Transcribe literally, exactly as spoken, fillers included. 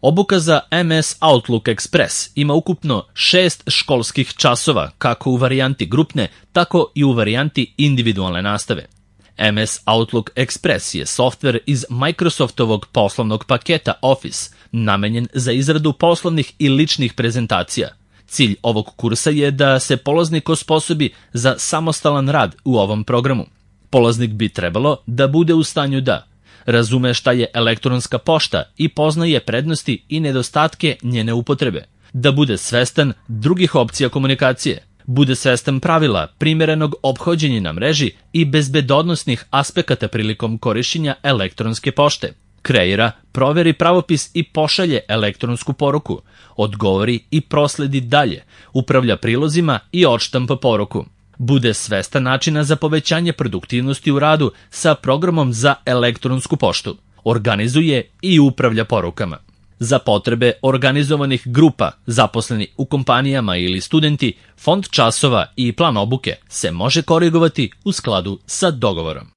Obuka za M S Outlook Express ima ukupno šest školskih časova, kako u varijanti grupne, tako i u varijanti individualne nastave. M S Outlook Express je softver iz Microsoftovog poslovnog paketa Office, namenjen za izradu poslovnih i ličnih prezentacija. Cilj ovog kursa je da se polaznik osposobi za samostalan rad u ovom programu. Polaznik bi trebalo da bude u stanju da razume šta je elektronska pošta i poznaje prednosti i nedostatke njene upotrebe, da bude svestan drugih opcija komunikacije, bude svestan pravila primerenog ophođenja na mreži i bezbednosnih aspekata prilikom korišćenja elektronske pošte, kreira, proveri pravopis i pošalje elektronsku poruku, odgovori i prosledi dalje, upravlja prilozima i odštampa poruku. Bude svestan načina za povećanje produktivnosti u radu sa programom za elektronsku poštu, organizuje i upravlja porukama. Za potrebe organizovanih grupa, zaposleni u kompanijama ili studenti, fond časova i plan obuke se može korigovati u skladu sa dogovorom.